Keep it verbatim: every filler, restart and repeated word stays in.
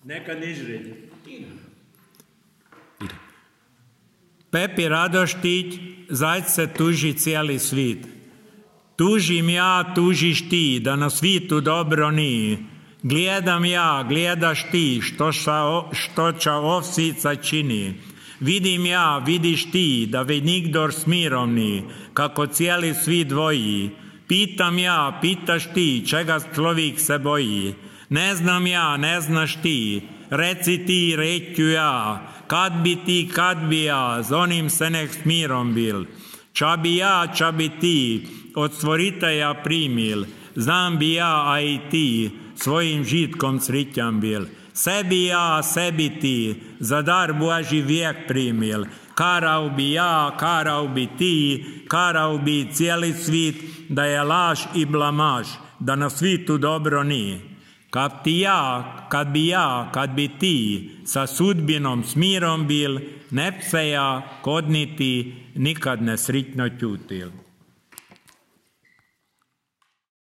Neka nižredi. Pepi Radoštić, zajce tuži cijeli svit. Tužim ja, tužiš ti, da na svitu dobro nije. Gledam ja, gledaš ti, što, ša, što ča ovsica čini. Vidim ja, vidiš ti, da ve nigdor s mirom ni, kako cijeli svit dvoji. Pitam ja, pitaš ti, čega človik se boji. Ne znam ja, ne znaš ti, reci ti, reću ja, kad bi ti, kad bi ja, z onim se nek s mirom bil. Ča bi ja, ča bi ti, od stvoritelja primil, znam bi ja, a i ti, svojim žitkom srićan bil. Sebi ja, sebi ti, za dar Božji vijek primil, karao bi ja, karao bi ti, karao bi cijeli svit, da je laž i blamaž, da na svitu dobro nije. Kad ti ja, kad bi ja, kad bi ti, sa sudbinom s mirom bil, ne bi se ja, kod niti, nikad ne sritno čutil.